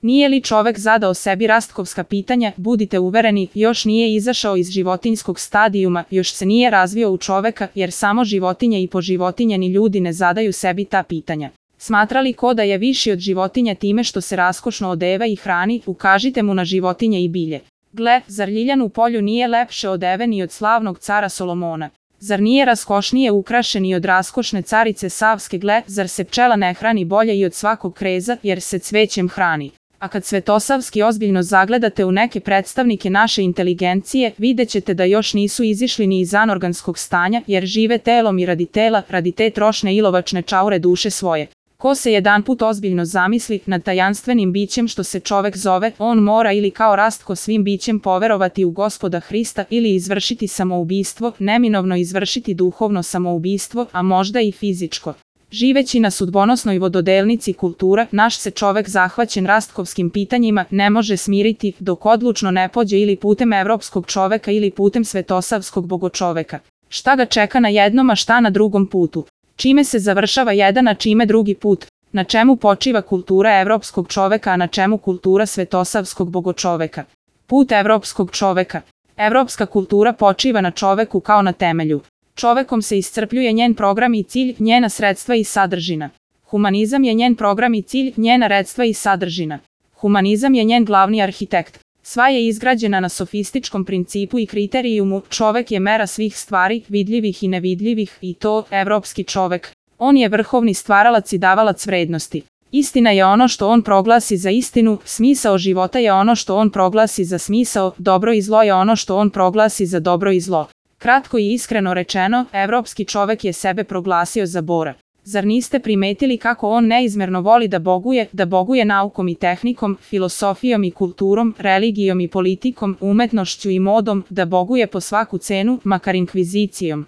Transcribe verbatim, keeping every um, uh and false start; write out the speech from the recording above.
Nije li čovek zadao sebi rastkovska pitanja, budite uvereni, još nije izašao iz životinjskog stadijuma, još se nije razvio u čoveka, jer samo životinje i poživotinjeni ljudi ne zadaju sebi ta pitanja. Smatrali ko da je viši od životinja time što se raskošno odeva i hrani, ukažite mu na životinje i bilje. Gle, zar ljiljan u polju nije lepše odeven i od slavnog cara Solomona? Zar nije raskošnije ukrašen i od raskošne carice Savske? Gle, zar se pčela ne hrani bolje i od svakog kreza, jer se cvećem hrani? A kad Svetosavski ozbiljno zagledate u neke predstavnike naše inteligencije, vidjet ćete da još nisu izišli ni iz anorganskog stanja, jer žive telom i radi tela, radi te trošne ilovačne čaure duše svoje. Ko se jedanput ozbiljno zamisli nad tajanstvenim bićem što se čovek zove, on mora ili kao Rastko svim bićem poverovati u Gospoda Hrista ili izvršiti samoubistvo, neminovno izvršiti duhovno samoubistvo, a možda i fizičko. Živeći na sudbonosnoj vododelnici kultura, naš se čovek zahvaćen rastkovskim pitanjima ne može smiriti dok odlučno ne pođe ili putem evropskog čoveka ili putem svetosavskog bogočoveka. Šta ga čeka na jednom, a šta na drugom putu? Čime se završava jedan, a čime drugi put? Na čemu počiva kultura evropskog čoveka, a na čemu kultura svetosavskog bogočoveka? Put evropskog čoveka. Evropska kultura počiva na čoveku kao na temelju. Čovekom se iscrpljuje njen program i cilj, njena sredstva i sadržina. Humanizam je njen program i cilj, njena sredstva i sadržina. Humanizam je njen glavni arhitekt. Sva je izgrađena na sofističkom principu i kriterijumu, čovek je mera svih stvari, vidljivih i nevidljivih, i to, evropski čovek. On je vrhovni stvaralac i davalac vrednosti. Istina je ono što on proglasi za istinu, smisao života je ono što on proglasi za smisao, dobro i zlo je ono što on proglasi za dobro i zlo. Kratko i iskreno rečeno, evropski čovek je sebe proglasio za Bora. Zar niste primetili kako on neizmerno voli da boguje, da boguje naukom i tehnikom, filosofijom i kulturom, religijom i politikom, umetnošću i modom, da boguje po svaku cenu, makar inkvizicijom?